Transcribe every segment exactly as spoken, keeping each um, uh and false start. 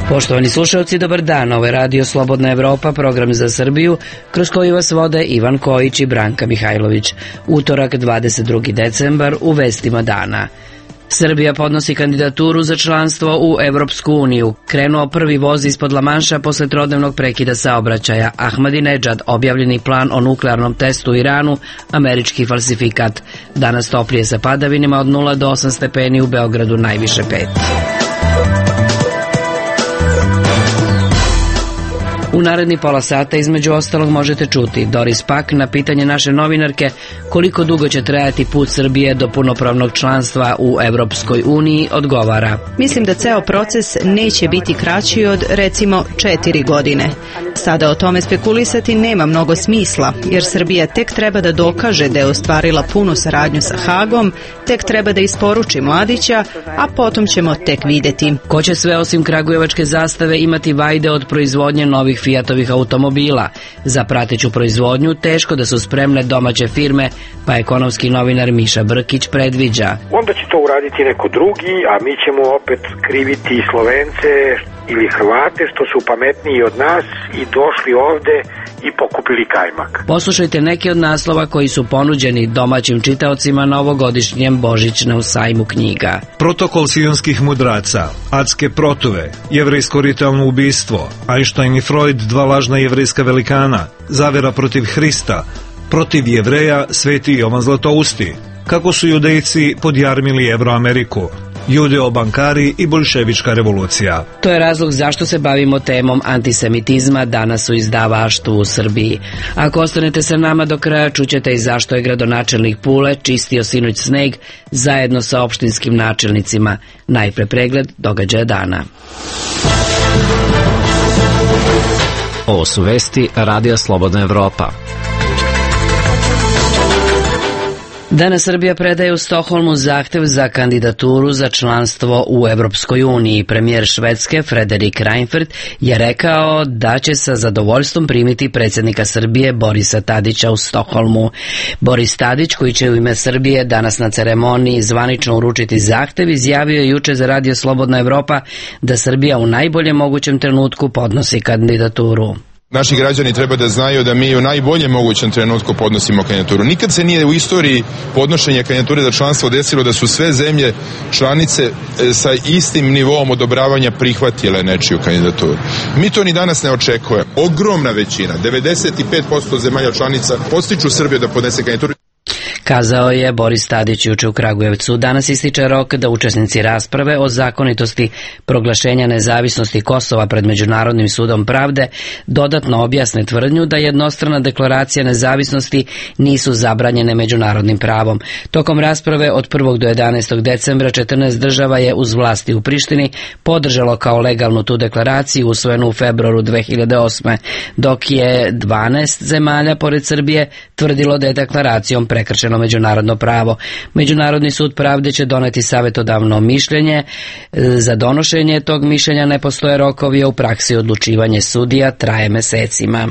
Poštovani slušalci, dobar dan. Ovo je Radio Slobodna Evropa, program za Srbiju, kroz koji vas vode Ivan Kojić i Branka Mihajlović. Utorak, dvadeset drugi decembar, u vestima dana. Srbija podnosi kandidaturu za članstvo u Evropsku uniju. Krenuo prvi voz ispod Lamanša posle trodnevnog prekida saobraćaja. Ahmadinedžad, objavljeni plan o nuklearnom testu u Iranu, američki falsifikat. Danas toplije sa padavinima od nula do osam stepeni, u Beogradu najviše pet. U naredni pola sata između ostalog možete čuti Doris Pak na pitanje naše novinarke koliko dugo će trajati put Srbije do punopravnog članstva u Evropskoj uniji odgovara. Mislim da ceo proces neće biti kraći od recimo četiri godine. Sada o tome spekulisati nema mnogo smisla, jer Srbija tek treba da dokaže da je ostvarila punu saradnju sa Hagom, tek treba da isporuči Mladića, a potom ćemo tek videti. Ko će sve osim kragujevačke zastave imati vajde od proizvodnje novih Fiatovih automobila? Za prateću proizvodnju teško da su spremne domaće firme, pa ekonomski novinar Miša Brkić predviđa. Onda će to uraditi neko drugi, a mi ćemo opet kriviti Slovence ili Hrvate što su pametniji od nas i došli ovde i pokupili kajmak. Poslušajte neke od naslova koji su ponuđeni domaćim čitaocima na ovogodišnjem Božićnom sajmu knjiga. Protokol sionskih mudraca, adske protuve, jevrejsko ritualno ubistvo, Einstein i Freud, dva lažna jevrejska velikana, zavera protiv Hrista, protiv Jevreja, Sveti Jovan Zlatousti, kako su judejci podjarmili Evroameriku, judeo-bankari i boljševička revolucija. To je razlog zašto se bavimo temom antisemitizma danas u izdavaštvu u Srbiji. Ako ostanete sa nama do kraja, čućete i zašto je gradonačelnik Pule čistio sinoć sneg zajedno sa opštinskim načelnicima. Najpre pregled događaja dana. Ovo su vesti Radija Slobodna Evropa. Danas Srbija predaje u Stokholmu zahtev za kandidaturu za članstvo u Evropskoj uniji. Premijer Švedske Frederik Reinfeldt je rekao da će sa zadovoljstvom primiti predsjednika Srbije Borisa Tadića u Stokholmu. Boris Tadić, koji će u ime Srbije danas na ceremoniji zvanično uručiti zahtev, izjavio je juče za Radio Slobodna Evropa da Srbija u najboljem mogućem trenutku podnosi kandidaturu. Naši građani treba da znaju da mi u najboljem mogućem trenutku podnosimo kandidaturu. Nikad se nije u istoriji podnošenja kandidature za članstvo desilo da su sve zemlje članice sa istim nivoom odobravanja prihvatile nečiju kandidaturu. Mi to ni danas ne očekujemo. Ogromna većina, devedeset pet posto zemalja članica podstiču Srbiju da podnese kandidaturu. Kazao je Boris Tadić juče u Kragujevcu. Danas ističe rok da učesnici rasprave o zakonitosti proglašenja nezavisnosti Kosova pred Međunarodnim sudom pravde dodatno objasne tvrdnju da jednostrana deklaracija nezavisnosti nisu zabranjene međunarodnim pravom. Tokom rasprave od prvog do jedanaestog decembra četrnaest država je uz vlasti u Prištini podržalo kao legalnu tu deklaraciju usvojenu u februaru dve hiljade osme, dok je dvanaest zemalja pored Srbije tvrdilo da je deklaracijom prekršeno međunarodno pravo. Međunarodni sud pravde će doneti savjetodavno mišljenje. Za donošenje tog mišljenja ne postoje rokovi, a u praksi odlučivanje sudija traje mesecima.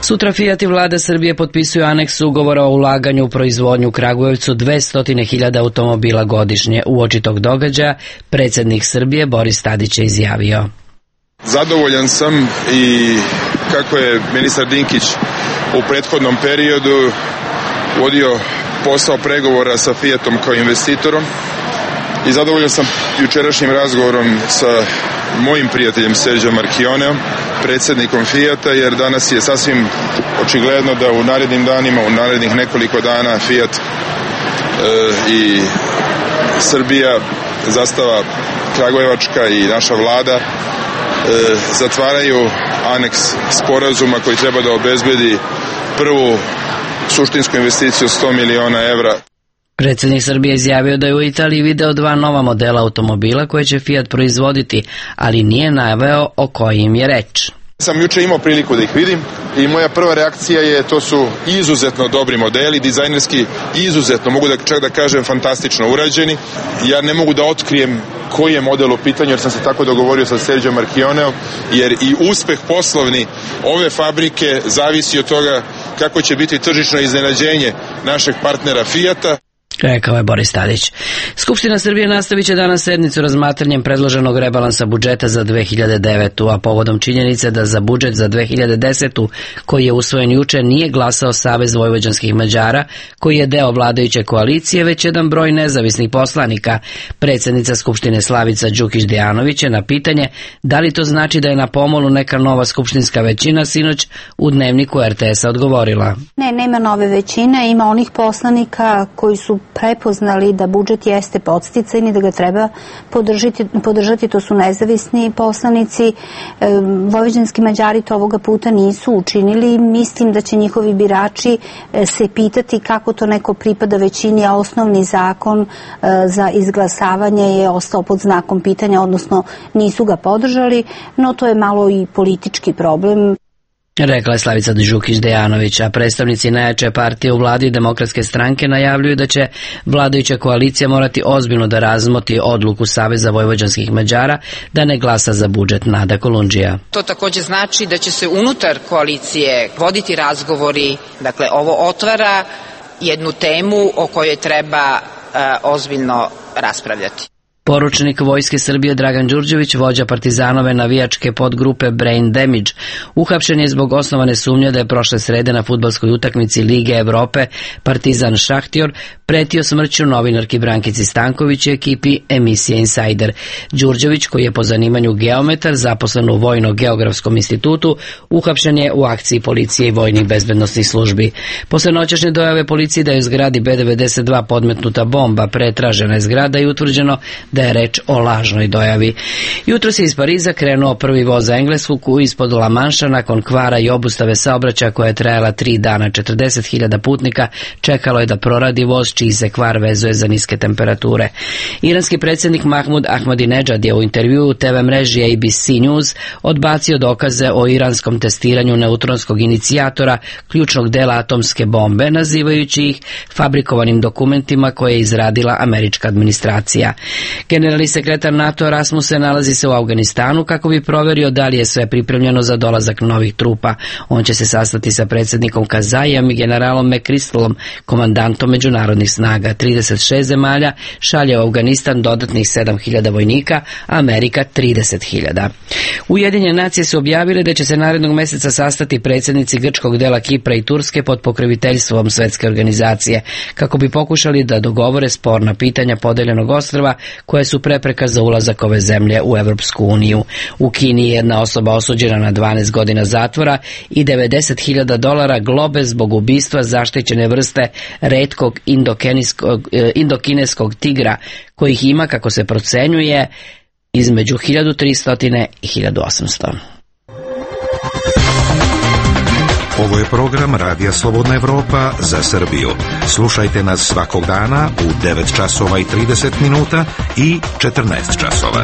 Sutra Fiat i vlada Srbije potpisuju aneks ugovora o ulaganju u proizvodnju u Kragujevcu dvesta hiljada automobila godišnje. Uoči tog događaja predsjednik Srbije Boris Tadić je izjavio: Zadovoljan sam i kako je ministar Dinkić u prethodnom periodu vodio posao pregovora sa Fiatom kao investitorom i zadovoljan sam jučerašnjim razgovorom sa mojim prijateljem Serđom Marchioneom, predsjednikom Fiata, jer danas je sasvim očigledno da u narednim danima, u narednih nekoliko dana Fiat e, i Srbija, zastava kragujevačka i naša vlada E, zatvaraju aneks sporazuma koji treba da obezbedi prvu suštinsku investiciju sto miliona evra. Predsjednik Srbije izjavio da je u Italiji video dva nova modela automobila koje će Fiat proizvoditi, ali nije naveo o kojim je reč. Sam juče imao priliku da ih vidim i moja prva reakcija je to su izuzetno dobri modeli, dizajnerski izuzetno, mogu da čak da kažem fantastično urađeni. Ja ne mogu da otkrijem koji je model u pitanju jer sam se tako dogovorio sa Serđom Marchioneom, jer i uspeh poslovni ove fabrike zavisi od toga kako će biti tržišno iznenađenje našeg partnera Fiata. Rekao je Boris Tadić. Skupština Srbije nastavit će danas sednicu razmatranjem predloženog rebalansa budžeta za dve hiljade devetu. a povodom činjenice da za budžet za dve hiljade desetu. koji je usvojen juče nije glasao Savez vojvođanskih Mađara, koji je deo vladajuće koalicije, već jedan broj nezavisnih poslanika. Predsjednica Skupštine Slavica Đukić Dejanović je na pitanje da li to znači da je na pomolu neka nova skupštinska većina sinoć u Dnevniku er te esa odgovorila. Ne, nema nove većine, ima onih poslanika koji su prepoznali da budžet jeste podsticajni, da ga treba podržati, podržati, to su nezavisni poslanici. E, vojvođanski Mađari to ovoga puta nisu učinili. Mislim da će njihovi birači e, se pitati kako to neko pripada većini, a osnovni zakon e, za izglasavanje je ostao pod znakom pitanja, odnosno nisu ga podržali, no to je malo i politički problem. Rekla je Slavica Đukić Dejanović, a predstavnici najjače partije u vladi Demokratske stranke najavljuju da će vladajuća koalicija morati ozbiljno da razmoti odluku Saveza vojvođanskih Mađara da ne glasa za budžet. Nada Kolundžija. To također znači da će se unutar koalicije voditi razgovori, dakle ovo otvara jednu temu o kojoj treba uh, ozbiljno raspravljati. Poručnik Vojske Srbije Dragan Đurđević, vođa partizanove navijačke podgrupe Brain Damage, uhapšen je zbog osnovane sumnje da je prošle srede na fudbalskoj utakmici Lige Evrope Partizan Šahtjor pretio smrću novinarki Brankici Stanković i ekipi emisije Insider. Đurđević, koji je po zanimanju geometar, zaposlen u Vojno-geografskom institutu, uhapšen je u akciji policije i vojnih bezbednosnih službi. Posle noćašnje dojave policije da je u zgradi be devedeset dva podmetnuta bomba, pretražena je zgrada i utvrđeno da je reč o lažnoj dojavi. Jutros je iz Pariza krenuo prvi voz za Englesku koji ispod La Manša nakon kvara i obustave saobraćaja koja je trajala tri dana. četrdeset hiljada putnika čekalo je da proradi voz čiji se kvar vezuje za niske temperature. Iranski predsjednik Mahmud Ahmadinejad je u intervjuu te ve mreži A B C News odbacio dokaze o iranskom testiranju neutronskog inicijatora, ključnog dela atomske bombe, nazivajući ih fabrikovanim dokumentima koje je izradila američka administracija. Generalni sekretar NATO Rasmussen nalazi se u Afganistanu kako bi proverio da li je sve pripremljeno za dolazak novih trupa. On će se sastati sa predsjednikom Kazajem i generalom McChrystalom, komandantom međunarodnih snaga. trideset šest zemalja šalje u Afganistan dodatnih sedam hiljada vojnika, a Amerika trideset hiljada. Ujedinjene nacije su objavile da će se narednog mjeseca sastati predsjednici grčkog dela Kipra i Turske pod pokroviteljstvom Svjetske organizacije, kako bi pokušali da dogovore sporna pitanja podeljenog ostrva koje su prepreka za ulazak ove zemlje u Evropsku uniju. U Kini je jedna osoba osuđena na dvanaest godina zatvora i devedeset hiljada dolara globe zbog ubistva zaštićene vrste retkog indokineskog tigra, kojih ima, kako se procenjuje, između hiljadu tristo i hiljadu osamsto. Ovo je program Radija Slobodna Evropa za Srbiju. Slušajte nas svakog dana u devet časova i trideset minuta i četrnaest časova.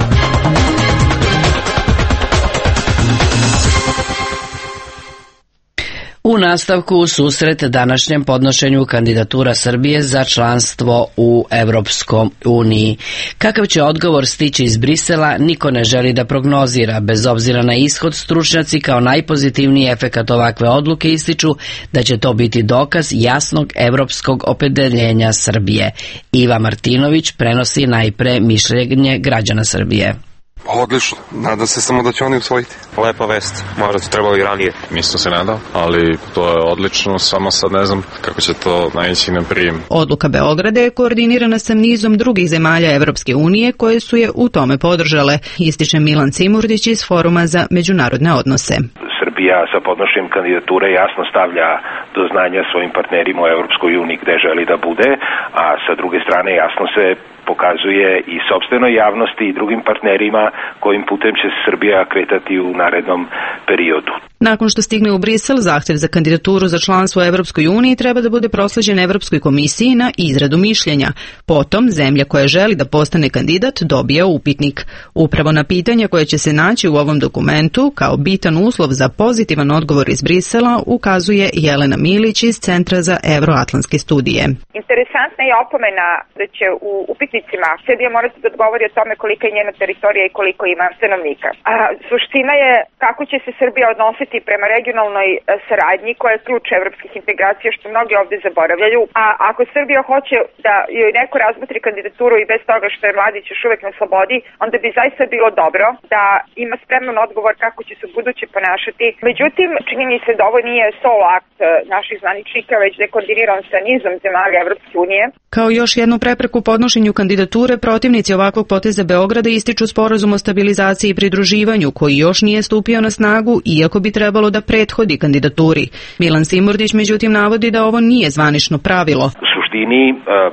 U nastavku susret današnjem podnošenju kandidatura Srbije za članstvo u Evropskom uniji. Kakav će odgovor stići iz Brisela, niko ne želi da prognozira. Bez obzira na ishod, stručnjaci kao najpozitivniji efekat ovakve odluke ističu da će to biti dokaz jasnog evropskog opredeljenja Srbije. Iva Martinović prenosi najpre mišljenje građana Srbije. Odlično, nadam se samo da će oni usvojiti. Lepa vest, možda to trebalo i ranije. Nisam se nadao, ali to je odlično, samo sad ne znam kako će to naići na prijem. Odluka Beograda je koordinirana sa nizom drugih zemalja Evropske unije koje su je u tome podržale, ističe Milan Cimurdić iz Foruma za međunarodne odnose. Srbija sa podnošenjem kandidature jasno stavlja do znanja svojim partnerima u Evropskoj uniji gde želi da bude, a sa druge strane jasno se pokazuje i sopstvenoj javnosti i drugim partnerima kojim putem će se Srbija kretati u narednom periodu. Nakon što stigne u Brisel, zahtev za kandidaturu za članstvo u Evropskoj uniji treba da bude prosleđen Evropskoj komisiji na izradu mišljenja. Potom, zemlja koja želi da postane kandidat dobija upitnik. Upravo na pitanja koje će se naći u ovom dokumentu, kao bitan uslov za pozitivan odgovor iz Brisela, ukazuje Jelena Milić iz Centra za evroatlantske studije. Interesantna je opomena da će u upitničkom stanovnicima. Srbija mora se da odgovori o tome kolika je njena teritorija i koliko ima stanovnika. A suština je kako će se Srbija odnositi prema regionalnoj saradnji koja je ključ evropskih integracija, što mnogi ovde zaboravljaju. A ako Srbija hoće da joj neko razmotri kandidaturu i bez toga što je Mladić još uvek na slobodi, onda bi zaista bilo dobro da ima spreman odgovor kako će se u buduće ponašati. Međutim, čini mi se da ovo nije solo akt naših zvaničnika, već da je koordiniran sa nizom zemalja Evropske unije. Kao još jednu prepreku podnošenju kandidature, protivnici ovakvog poteza Beograda ističu sporazum o stabilizaciji i pridruživanju, koji još nije stupio na snagu, iako bi trebalo da prethodi kandidaturi. Milan Simordić međutim navodi da ovo nije zvanično pravilo. U suštini,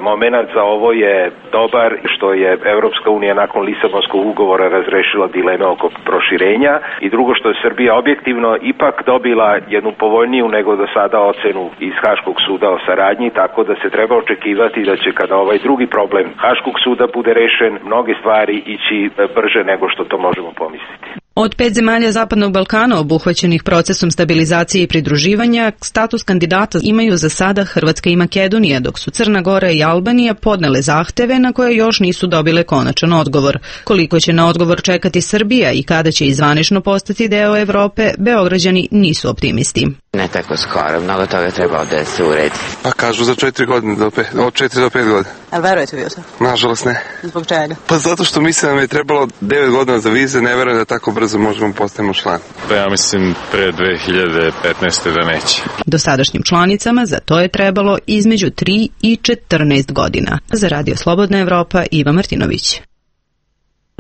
moment za ovo je dobar što je Evropska unija nakon Lisabonskog ugovora razrešila dileme oko proširenja i drugo što je Srbija objektivno ipak dobila jednu povoljniju nego do sada ocenu iz Haškog suda o saradnji, tako da se treba očekivati da će kada ovaj drugi problem Haškog suda bude rešen, mnoge stvari ići brže nego što to možemo pomisliti. Od pet zemalja Zapadnog Balkana obuhvaćenih procesom stabilizacije i pridruživanja, status kandidata imaju za sada Hrvatska i Makedonija, dok su Crna Gora i Albanija podnele zahteve na koje još nisu dobile konačan odgovor. Koliko će na odgovor čekati Srbija i kada će izvanično postati deo Evrope, Beograđani nisu optimisti. Ne tako skoro, mnogo toga treba da se uredi. Pa kažu za četiri godine, do pet, od četiri do pet godina. A verujete vi o to? Nažalost ne. Zbog čega? Pa zato što mislim da nam je trebalo devet godina za vize, ne verujem da tako brzo možemo postavimo član. Pa ja mislim pre dve hiljade petnaeste da neće. Dosadašnjim članicama za to je trebalo između tri i četrnaest godina. Za Radio Slobodna Evropa, Iva Martinović.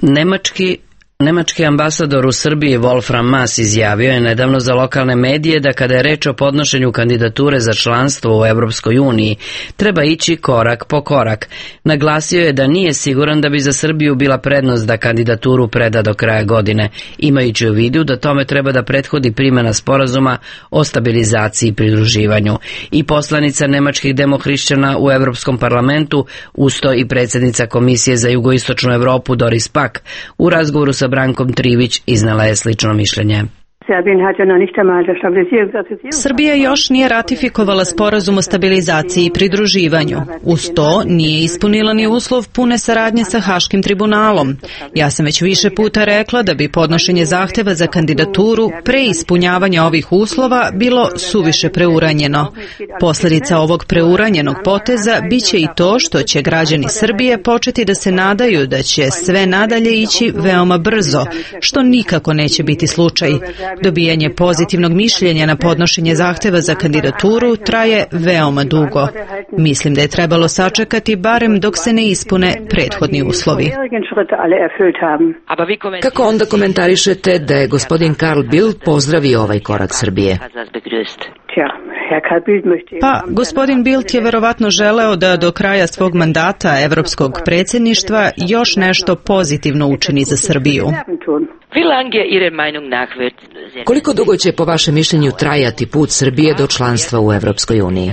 Nemački Nemački ambasador u Srbiji Wolfram Maas izjavio je nedavno za lokalne medije da kada je reč o podnošenju kandidature za članstvo u Evropskoj uniji, treba ići korak po korak. Naglasio je da nije siguran da bi za Srbiju bila prednost da kandidaturu preda do kraja godine, imajući u vidu da tome treba da prethodi primjena sporazuma o stabilizaciji i pridruživanju. I poslanica nemačkih demohrišćana u Evropskom parlamentu, usto i predsjednica Komisije za jugoistočnu Evropu Doris Pack, u razgovoru sa Brankom Trivić iznala je slično mišljenje. Srbija još nije ratifikovala sporazum o stabilizaciji i pridruživanju. Uz to nije ispunila ni uslov pune saradnje sa Haškim tribunalom. Ja sam već više puta rekla da bi podnošenje zahteva za kandidaturu pre ispunjavanja ovih uslova bilo suviše preuranjeno. Posljedica ovog preuranjenog poteza biće i to što će građani Srbije početi da se nadaju da će sve nadalje ići veoma brzo, što nikako neće biti slučaj. Dobijanje pozitivnog mišljenja na podnošenje zahteva za kandidaturu traje veoma dugo. Mislim da je trebalo sačekati barem dok se ne ispune prethodni uslovi. Kako onda komentarišete da je gospodin Karl Bildt pozdravio ovaj korak Srbije? Pa, gospodin Bildt je verovatno želeo da do kraja svog mandata evropskog predsjedništva još nešto pozitivno učini za Srbiju. Koliko dugo će po vašem mišljenju trajati put Srbije do članstva u Evropskoj uniji?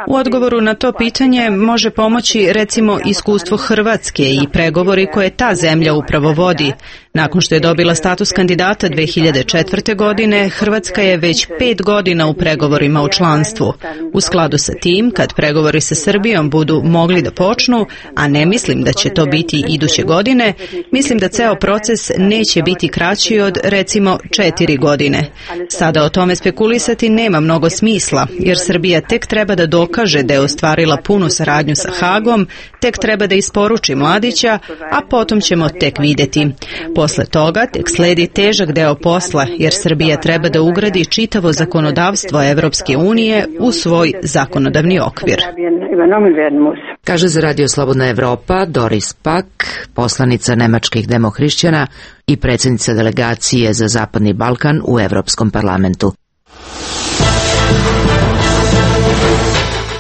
U odgovoru na to pitanje može pomoći recimo iskustvo Hrvatske i pregovori koje ta zemlja upravo vodi. Nakon što je dobila status kandidata dve hiljade četvrte. godine, Hrvatska je već pet godina u pregovorima o članstvu. U skladu sa tim, kad pregovori sa Srbijom budu mogli da počnu, a ne mislim da će to biti iduće godine, mislim da ceo proces neće biti kraći od recimo četiri godine. Sada o tome spekulisati nema mnogo smisla, jer Srbija tek treba da dokaže da je ostvarila punu saradnju sa Hagom, tek treba da isporuči Mladića, a potom ćemo tek videti. Posle toga tek sledi težak deo posla, jer Srbija treba da ugradi čitavo zakonodavstvo Evropske unije u svoj zakonodavni okvir. Kaže za Radio Slobodna Evropa Doris Pack, poslanica nemačkih demohrišćana i predsjednica delegacije za Zapadni Balkan u Evropskom parlamentu.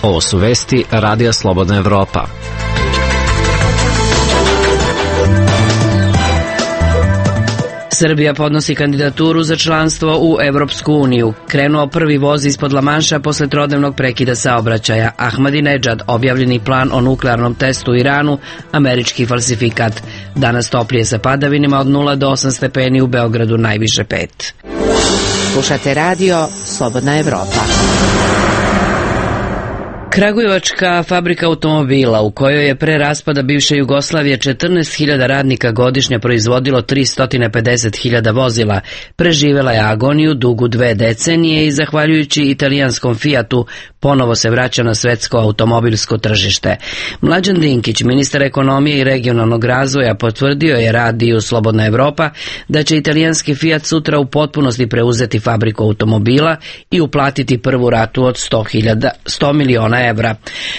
Ovo su vesti Radija Slobodna Evropa. Srbija podnosi kandidaturu za članstvo u Evropsku uniju. Krenuo prvi voz ispod Lamanša posle trodnevnog prekida saobraćaja. Ahmadinedžad, objavljeni plan o nuklearnom testu u Iranu, američki falsifikat. Danas toplije sa padavinima od nula do osam stepeni, u Beogradu najviše pet. Slušate Radio Slobodna Evropa. Kragujevačka fabrika automobila, u kojoj je pre raspada bivše Jugoslavije četrnaest hiljada radnika godišnje proizvodilo tristo pedeset hiljada vozila, preživela je agoniju dugu dve decenije i zahvaljujući italijanskom Fiatu ponovo se vraća na svetsko automobilsko tržište. Mlađan Dinkić, ministar ekonomije i regionalnog razvoja, potvrdio je radiju Slobodna Evropa da će italijanski Fiat sutra u potpunosti preuzeti fabriku automobila i uplatiti prvu ratu od sto miliona evra.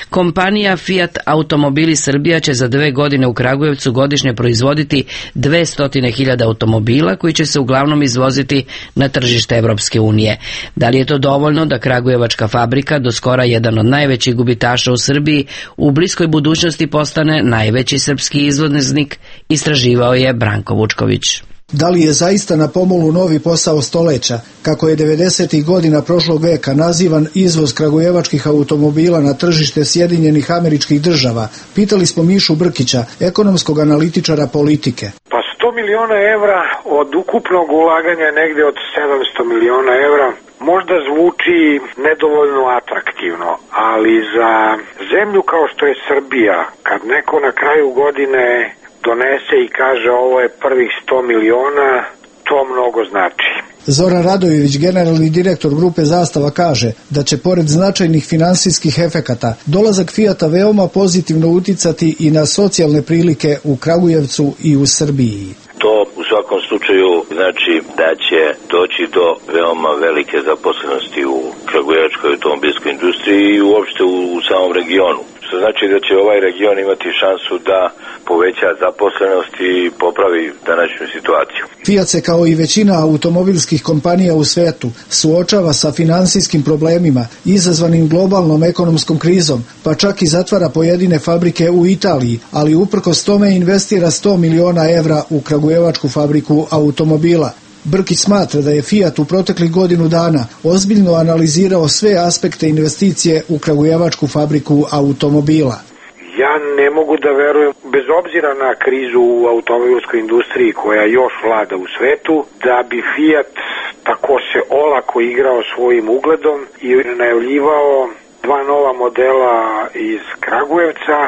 Kompanija Fiat Automobili Srbija će za dve godine u Kragujevcu godišnje proizvoditi dvesta hiljada automobila koji će se uglavnom izvoziti na tržište Evropske unije. Da li je to dovoljno da kragujevačka fabrika, do skora jedan od najvećih gubitaša u Srbiji, u bliskoj budućnosti postane najveći srpski izvoznik, istraživao je Branko Vučković. Da li je zaista na pomolu novi posao stoleća, kako je devedesetih godina prošlog veka nazivan izvoz kragujevačkih automobila na tržište Sjedinjenih Američkih Država? Pitali smo Mišu Brkića, ekonomskog analitičara politike. Pa sto miliona evra od ukupnog ulaganja je negde od sedamsto miliona evra. Možda zvuči nedovoljno atraktivno, ali za zemlju kao što je Srbija, kad neko na kraju godine donese i kaže ovo je prvih sto miliona, to mnogo znači. Zoran Radojević, generalni direktor grupe Zastava, kaže da će pored značajnih finansijskih efekata dolazak Fijata veoma pozitivno uticati i na socijalne prilike u Kragujevcu i u Srbiji. To u svakom slučaju znači da će doći do veoma velike zaposlenosti u kragujevačkoj automobilskoj industriji i uopšte u, u samom regionu. Što znači da će ovaj region imati šansu da poveća zaposlenost i popravi današnju situaciju. Fiat se kao i većina automobilskih kompanija u svetu suočava sa finansijskim problemima izazvanim globalnom ekonomskom krizom, pa čak i zatvara pojedine fabrike u Italiji, ali uprkos tome investira sto miliona evra u kragujevačku fabriku automobila. Brkić smatra da je Fiat u proteklih godinu dana ozbiljno analizirao sve aspekte investicije u kragujevačku fabriku automobila. Ja ne mogu da verujem, bez obzira na krizu u automobilskoj industriji koja još vlada u svetu, da bi Fiat tako se olako igrao svojim ugledom i najavljivao dva nova modela iz Kragujevca,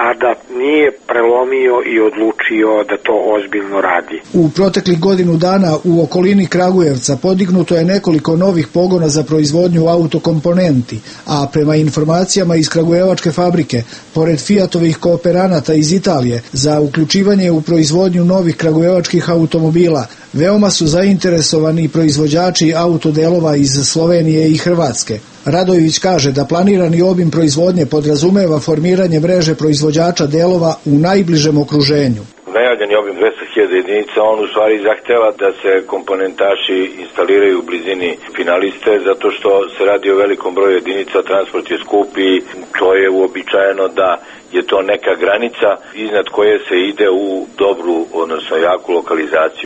a da nije prelomio i odlučio da to ozbiljno radi. U proteklih godinu dana u okolini Kragujevca podignuto je nekoliko novih pogona za proizvodnju autokomponenti, a prema informacijama iz kragujevačke fabrike, pored Fiatovih kooperanata iz Italije za uključivanje u proizvodnju novih kragujevačkih automobila, veoma su zainteresovani proizvođači autodelova iz Slovenije i Hrvatske. Radojević kaže da planirani obim proizvodnje podrazumeva formiranje mreže proizvođača delova u najbližem okruženju. Najavljeni obim dvesta hiljada jedinica, on u stvari zahteva da se komponentaši instaliraju u blizini finaliste, zato što se radi o velikom broju jedinica, transport je skup i to je uobičajeno da je to neka granica iznad koje se ide u dobru, odnosno jaku lokalizaciju.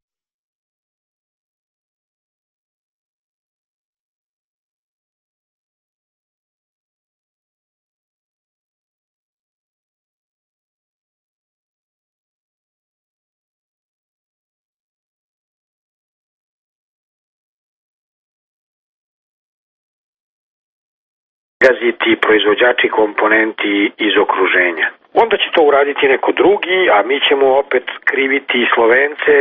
Gaziti proizvođači komponenti iz okruženja. Onda će to uraditi neko drugi, a mi ćemo opet kriviti Slovence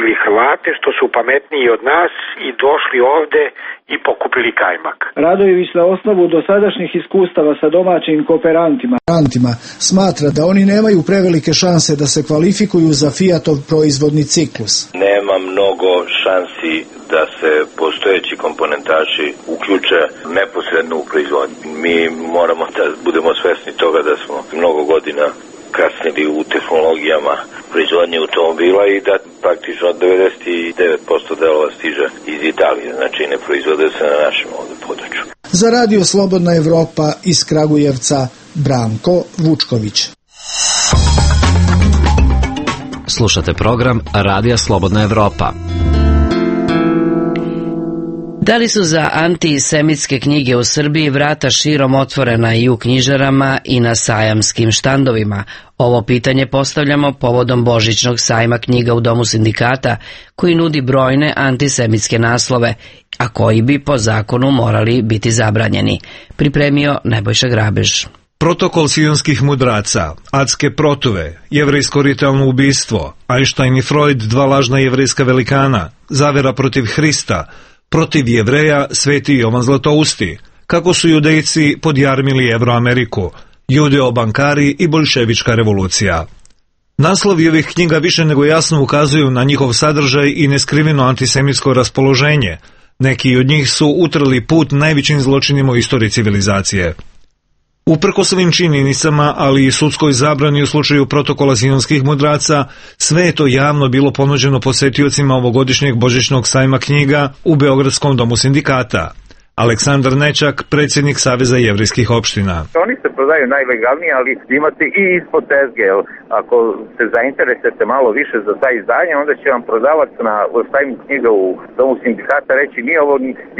ili Hrvate što su pametniji od nas i došli ovde i pokupili kajmak. Radojević na osnovu dosadašnjih iskustava sa domaćim kooperantima smatra da oni nemaju prevelike šanse da se kvalifikuju za Fiatov proizvodni ciklus. Nema mnogo šansi da se postojeći komponentaši uključe neposredno u proizvodnju. Mi moramo da budemo svesni toga da smo mnogo godina kasnili u tehnologijama proizvodnje automobila i da praktično devedeset devet posto delova stiže iz Italije, znači ne proizvode se na našem ovdje području. Za Radio Slobodna Evropa iz Kragujevca, Branko Vučković. Slušate program Radija Slobodna Evropa. Da li su za antisemitske knjige u Srbiji vrata širom otvorena i u knjižarama i na sajamskim štandovima? Ovo pitanje postavljamo povodom božićnog sajma knjiga u Domu sindikata, koji nudi brojne antisemitske naslove, a koji bi po zakonu morali biti zabranjeni. Pripremio Nebojša Grabež. Protokol sionskih mudraca, adske protuve, jevrejsko ritualno ubistvo, Einstein i Freud, dva lažna jevrejska velikana, zavera protiv Hrista, protiv Jevreja, Sveti Jovan Zlatousti, kako su judejci podjarmili Evroameriku, judeo-bankari i boljševička revolucija. Naslovi ovih knjiga više nego jasno ukazuju na njihov sadržaj i neskriveno antisemitsko raspoloženje. Neki od njih su utrli put najvećim zločinima u istoriji civilizacije. Uprkos ovim činjenicama, ali i sudskoj zabrani u slučaju protokola sionskih mudraca, sve je to javno bilo ponuđeno posetiocima ovogodišnjeg božićnog sajma knjiga u Beogradskom domu sindikata. Aleksandar Nećak, predsjednik Saveza jevrejskih opština. Oni se prodaju najlegalnije, ali imate i ispod tezge. Ako se zainteresujete malo više za taj izdanje, onda će vam prodavac na sajmu knjiga u Domu sindikata reći nije ovo,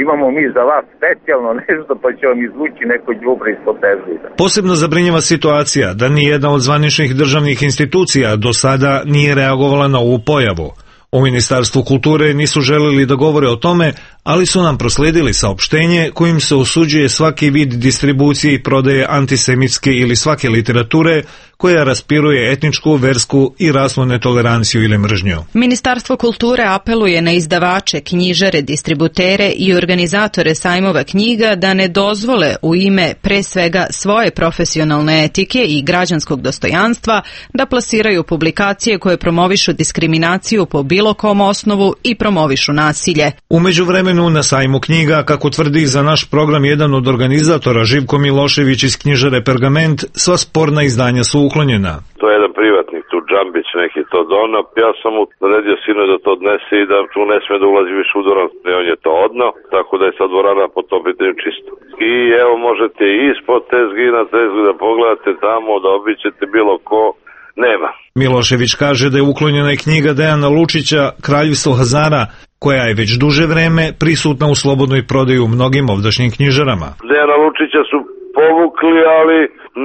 imamo mi za vas specijalno nešto, pa će vam izvući neko đubre ispod tezge. Posebno zabrinjava situacija da nijedna od zvaničnih državnih institucija do sada nije reagovala na ovu pojavu. U Ministarstvu kulture nisu želeli da govore o tome, ali su nam prosledili saopštenje kojim se osuđuje svaki vid distribucije i prodaje antisemitske ili svake literature koja raspiruje etničku, versku i rasnu netoleranciju ili mržnju. Ministarstvo kulture apeluje na izdavače, knjižare, distributere i organizatore sajmova knjiga da ne dozvole u ime pre svega svoje profesionalne etike i građanskog dostojanstva da plasiraju publikacije koje promovišu diskriminaciju po bilo kom osnovu i promovišu nasilje. U međuvremenu na sajmu knjiga, kako tvrdi za naš program jedan od organizatora Živko Milošević iz knjižare Pergament, sva sporna izdanja su uklonjena. To je jedan privatnik, tu Džambić neki to dono. Ja sam mu naredio sinu da to odnese i da tu ne sme da ulazi više u dvoran. On je to odno, tako da je sad dvorana po tom pitanju čisto. I evo možete ispod tezgi na tezgu da pogledate tamo, da obićete bilo ko. Nema. Milošević kaže da je uklonjena i knjiga Dejana Lučića Kraljevstvo Hazara, koja je već duže vreme prisutna u slobodnoj prodaji u mnogim ovdašnjim knjižarama. Dejana Lučića su povukli, ali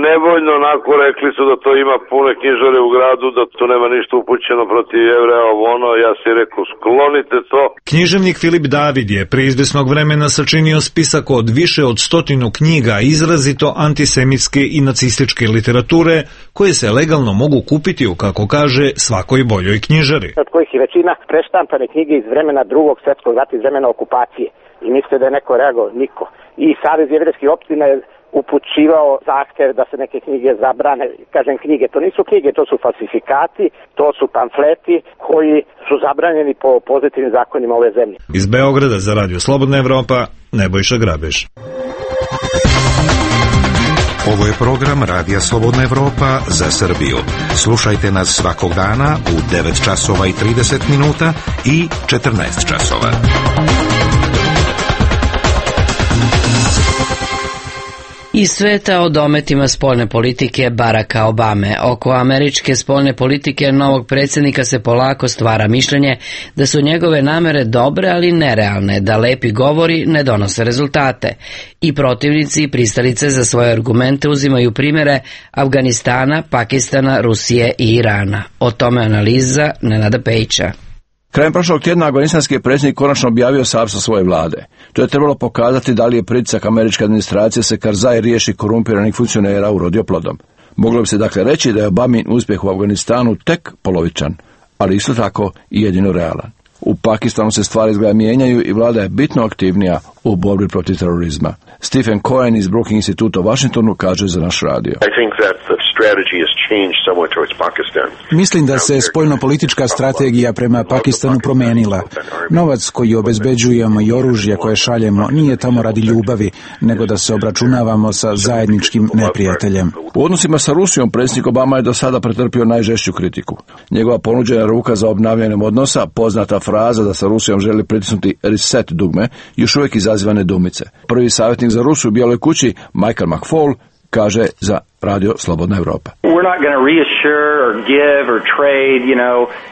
nevoljno onako rekli su da to ima pune knjižare u gradu, da to nema ništa upućeno protiv Jevreja, ono, ja si rekao sklonite to. Književnik Filip David je pre izvesnog vremena sačinio spisak od više od stotinu knjiga izrazito antisemitske i nacističke literature koje se legalno mogu kupiti u, kako kaže, svakoj boljoj knjižari. Od kojih je većina preštampane knjige iz vremena drugog svjetskog rata, iz vremena okupacije. I mislite da je neko reagovao? Niko. I Savez jevrejskih opština je upućivao zahtev da se neke knjige zabrane. Kažem knjige, to nisu knjige, to su falsifikati, to su pamfleti koji su zabranjeni po pozitivnim zakonima ove zemlje. Iz Beograda za Radio Slobodna Evropa, Nebojša Grabež. Ovo je program Radija Slobodna Evropa za Srbiju. Slušajte nas svakog dana u devet časova i trideset minuta i četrnaest časova. Iz sveta o dometima spoljne politike Baracka Obame. Oko američke spoljne politike novog predsjednika se polako stvara mišljenje da su njegove namere dobre, ali nerealne, da lepi govori ne donose rezultate. I protivnici i pristalice za svoje argumente uzimaju primjere Afganistana, Pakistana, Rusije i Irana. O tome analiza Nenada Pejića. Krajem prošlog tjedna afganistanski predsjednik konačno objavio sastav svoje vlade. To je trebalo pokazati da li je pritisak američke administracije se Karzai riješi korumpiranih funkcionera urodio plodom. Moglo bi se dakle reći da je Obamin uspjeh u Afganistanu tek polovičan, ali isto tako i jedino realan. U Pakistanu se stvari izgleda mijenjaju i vlada je bitno aktivnija u borbi protiv terorizma. Stephen Cohen iz Brookings instituta u Washingtonu kaže za naš radio. Mislim da se spoljnopolitička strategija prema Pakistanu promijenila. Novac koji obezbeđujemo i oružje koje šaljemo nije tamo radi ljubavi, nego da se obračunavamo sa zajedničkim neprijateljem. U odnosima sa Rusijom predsjednik Obama je do sada pretrpio najžešću kritiku. Njegova ponuđena ruka za obnavljanjem odnosa, poznata fraza da sa Rusijom želi pritisnuti reset dugme, još uvijek izaziva nedoumice. Prvi savjetnik za Rusiju u Bijeloj kući, Michael McFaul, kaže za Radio Slobodna Evropa.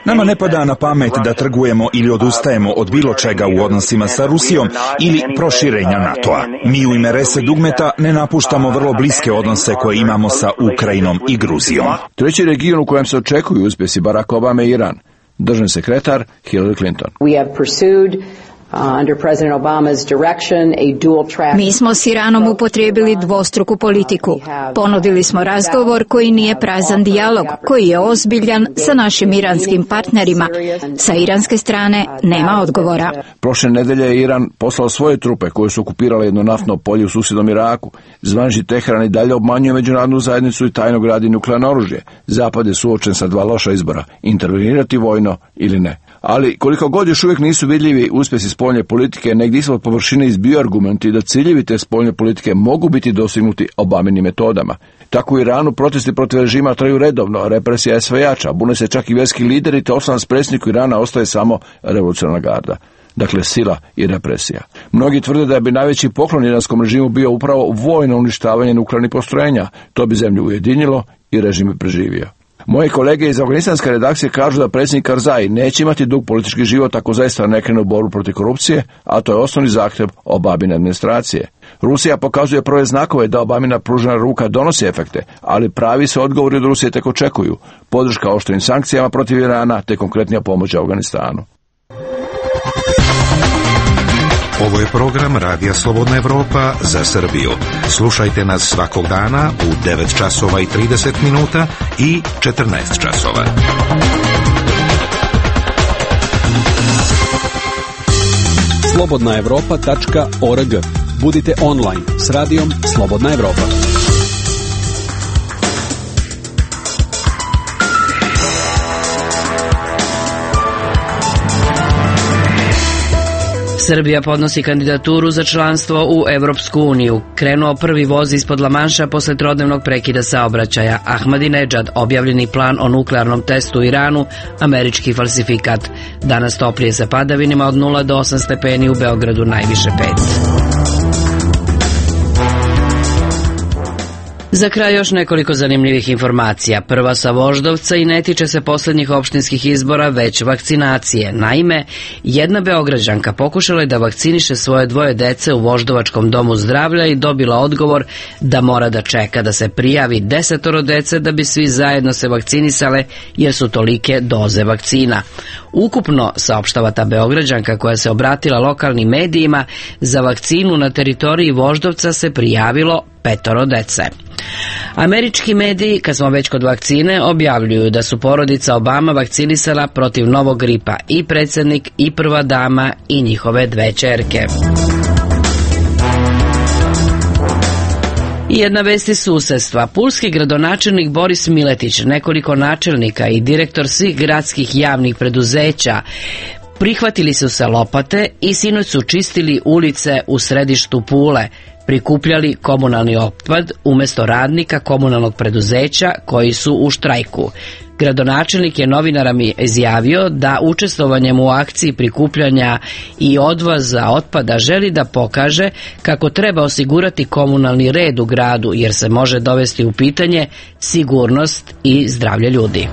Nama ne pada na pamet da trgujemo ili odustajemo od bilo čega u odnosima sa Rusijom ili proširenja NATO-a. Mi u ime Rese Dugmeta ne napuštamo vrlo bliske odnose koje imamo sa Ukrajinom i Gruzijom. Treći region u kojem se očekuju uspjesi Barack Obama je Iran. Državni sekretar Hillary Clinton. Mi smo s Iranom upotrijebili dvostruku politiku. Ponudili smo razgovor koji nije prazan dijalog, koji je ozbiljan sa našim iranskim partnerima. Sa iranske strane nema odgovora. Prošle nedelje je Iran poslao svoje trupe koje su okupirale jedno naftno polje u susjednom Iraku. Zvanični Teheran i dalje obmanjuje međunarodnu zajednicu i tajno gradi nuklearno oružje. Zapad je suočen sa dva loša izbora, intervenirati vojno ili ne. Ali koliko god još uvijek nisu vidljivi uspjesi spoljne politike, negdje ispod površine izbiju argumenti da ciljevi te spoljne politike mogu biti dosignuti Obaminim metodama. Tako u Iranu protesti protiv režima traju redovno, represija je sve jača, bune se čak i vjerski lideri, te osnovan predsjedniku Irana ostaje samo revolucionarna garda. Dakle, sila i represija. Mnogi tvrde da bi najveći poklon iranskom režimu bio upravo vojno uništavanje nuklearnih postrojenja. To bi zemlju ujedinilo i režim bi preživio. Moji kolege iz afganistanske redakcije kažu da predsjednik Karzai neće imati dug politički život ako zaista ne krene u borbu protiv korupcije, a to je osnovni zahtjev Obamine administracije. Rusija pokazuje prve znakove da Obamina pružena ruka donosi efekte, ali pravi se odgovori od Rusije tek očekuju. Podrška oštrim sankcijama protiv Irana te konkretnija pomoć Afganistanu. Ovo je program Radija Slobodna Evropa za Srbiju. Slušajte nas svakog dana u devet časova i trideset minuta i četrnaest časova. slobodna evropa tačka org. Budite online s radijom Slobodna Evropa. Srbija podnosi kandidaturu za članstvo u Evropsku uniju. Krenuo prvi voz ispod Lamanša posle trodnevnog prekida saobraćaja. Ahmadinedžad, objavljeni plan o nuklearnom testu u Iranu, američki falsifikat. Danas toplije sa padavinima od nula do osam stepeni, u Beogradu najviše pet. Za kraj još nekoliko zanimljivih informacija. Prva sa Voždovca i ne tiče se posljednjih opštinskih izbora, već vakcinacije. Naime, jedna Beograđanka pokušala je da vakciniše svoje dvoje dece u Voždovačkom domu zdravlja i dobila odgovor da mora da čeka da se prijavi desetoro dece da bi svi zajedno se vakcinisale, jer su tolike doze vakcina. Ukupno, saopštava ta Beograđanka koja se obratila lokalnim medijima, za vakcinu na teritoriji Voždovca se prijavilo petoro dece. Američki mediji, kad smo već kod vakcine, objavljuju da su porodica Obama vakcinisala protiv novog gripa i predsjednik i prva dama i njihove dve ćerke. I jedna vest iz susedstva. Pulski gradonačelnik Boris Miletić, nekoliko načelnika i direktor svih gradskih javnih preduzeća prihvatili su se lopate i sinoć su čistili ulice u središtu Pule, prikupljali komunalni otpad umjesto radnika komunalnog preduzeća koji su u štrajku. Gradonačelnik je novinarama izjavio da učestvovanjem u akciji prikupljanja i odvoza otpada želi da pokaže kako treba osigurati komunalni red u gradu, jer se može dovesti u pitanje sigurnost i zdravlje ljudi.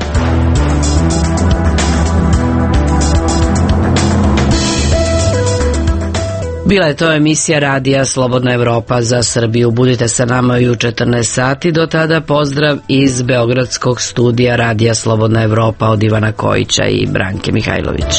Bila je to emisija Radija Slobodna Evropa za Srbiju. Budite sa nama i u četrnaest sati. Do tada pozdrav iz Beogradskog studija Radija Slobodna Evropa od Ivana Kojića i Branke Mihajlović.